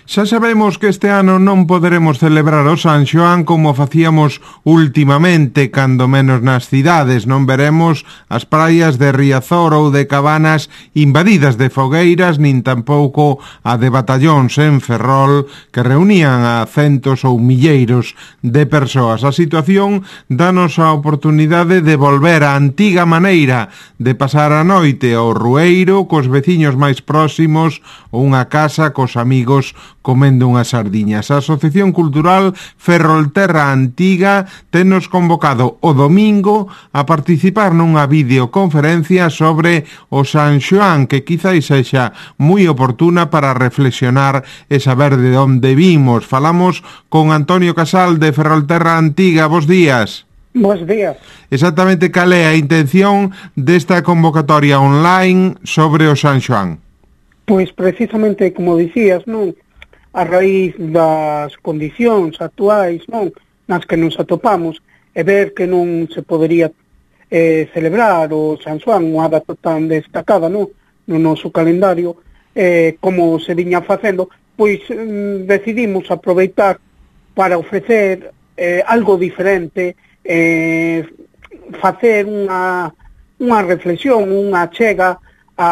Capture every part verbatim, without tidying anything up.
Xa sabemos que este ano non poderemos celebrar o San Xoán como facíamos últimamente, cando menos nas cidades. Non veremos as praias de Riazor ou de Cabanas invadidas de fogueiras, nin tampouco a de batallóns en Ferrol que reunían a centos ou milleiros de persoas. A situación danos a oportunidade de volver á antiga maneira de pasar a noite ao rueiro cos veciños máis próximos ou unha casa cos amigos comendo unhas sardiñas. A Asociación Cultural Ferrolterra Antiga tenos convocado o domingo a participar nunha videoconferencia sobre o San Xoán, que quizáis sexa moi oportuna para reflexionar e saber de onde vimos. Falamos con Antonio Casal de Ferrolterra Antiga. Bos días. Bos días. Exactamente cal é a intención desta convocatoria online sobre o San Xoán? Pois precisamente, como dicías, non? A raíz das condicións actuais, non, nas que nos atopamos, e ver que non se podería eh, celebrar o San Xoán, unha data tan destacada, non, no noso calendario, eh, como se viña facendo, pois mm, decidimos aproveitar para ofrecer eh, algo diferente, eh, facer unha, unha reflexión, unha chega a,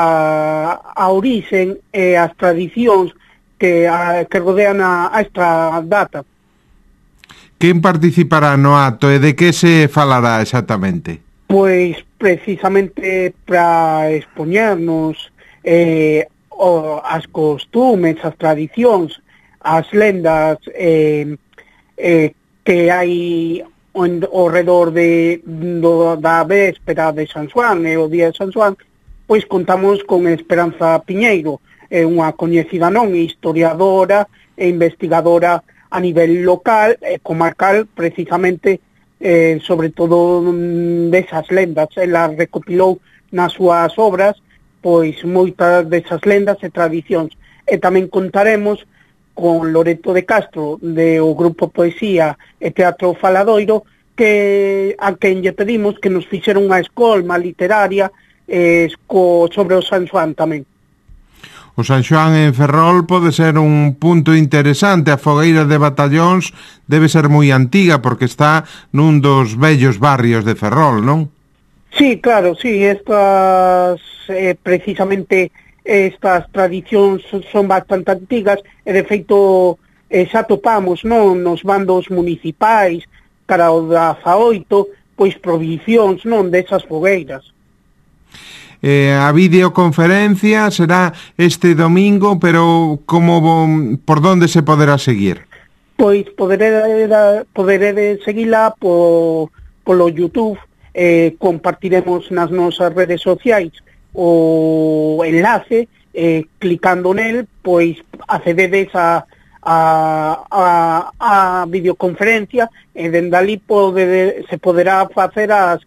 a orixen e as tradicións que, a, que rodean a, a esta data. Quen participará no acto e de que se falará exactamente? Pois precisamente para expoñernos eh, o, as costumes, as tradicións, as lendas eh, eh, que hai ao redor de, do, da véspera de San Xoán e o día de San Xoán, pois contamos con Esperanza Piñeiro, é unha coñecida non historiadora e investigadora a nivel local e comarcal, precisamente eh, sobre todo desas lendas. Ela recopilou nas súas obras pois moitas desas lendas e tradicións, e tamén contaremos con Loreto de Castro de o grupo Poesía e Teatro Faladoiro, que a quen lle pedimos que nos fixera unha escolma literaria eh, co, sobre o San Xoán tamén. O San Xoán en Ferrol pode ser un punto interesante. A fogueira de Batallóns debe ser moi antiga porque está nun dos vellos barrios de Ferrol, non? Sí, claro, sí, estas eh, precisamente estas tradicións son bastante antigas e de feito eh, xa topamos, non, nos bandos municipais cara o dezaoito, pois prohibicións, non, desas fogueiras. Eh, a videoconferencia será este domingo, pero como por donde se poderá seguir? Pois poderé, poderé seguila po, polo YouTube, eh, compartiremos nas nosas redes sociais o enlace, eh, clicando nel, pois accededes a, a, a, a videoconferencia e dende ali pode, se poderá facer as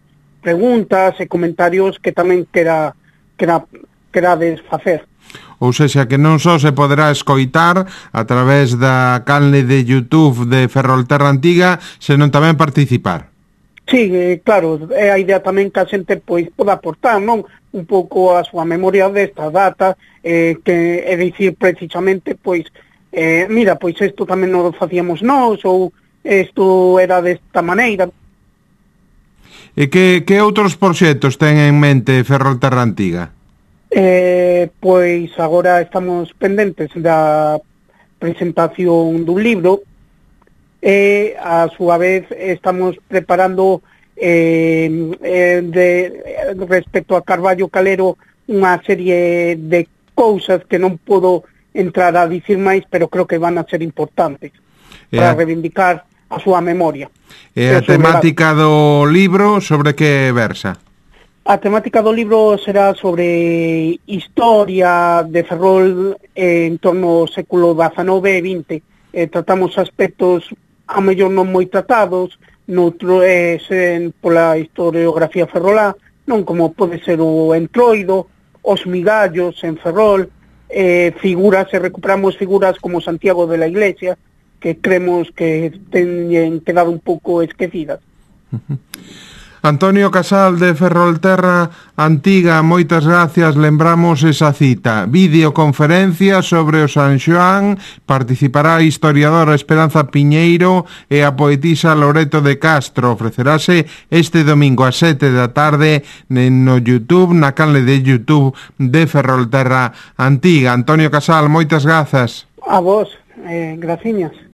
preguntas e comentarios que tamén quera, quera, querades facer. Ou seja, que non só se poderá escoitar a través da canle de YouTube de Ferrolterra Antiga, senón tamén participar. Sí, eh, claro, é a idea tamén que a xente pois poda aportar, non, un pouco a súa memoria desta data, eh, que é dicir precisamente, pois, eh, mira, pois isto tamén non facíamos nós, ou isto era desta maneira. E que, que outros proxectos ten en mente Ferrolterra Antiga? Eh, pois agora estamos pendentes da presentación dun libro e a súa vez estamos preparando eh, eh, de, respecto a Carballo Calero unha serie de cousas que non podo entrar a dicir máis, pero creo que van a ser importantes e para a... reivindicar a súa memoria. E a temática do libro sobre que versa? A temática do libro será sobre historia de Ferrol en torno ao século dezanove e vinte. Eh, tratamos aspectos a mellor non moi tratados, noutro é eh, pola historiografía ferrolá, non, como pode ser o entroido, os migallos en Ferrol, eh, figuras, e recuperamos figuras como Santiago de la Iglesia, que creemos que teñen quedado un pouco esquecidas. Antonio Casal de Ferrolterra Antiga, moitas gracias, lembramos esa cita. Videoconferencia sobre o San Xoán, participará a historiadora Esperanza Piñeiro e a poetisa Loreto de Castro. Ofrecerase este domingo a sete da tarde no YouTube, na canle de YouTube de Ferrolterra Antiga. Antonio Casal, moitas grazas. A vos, eh, graciñas.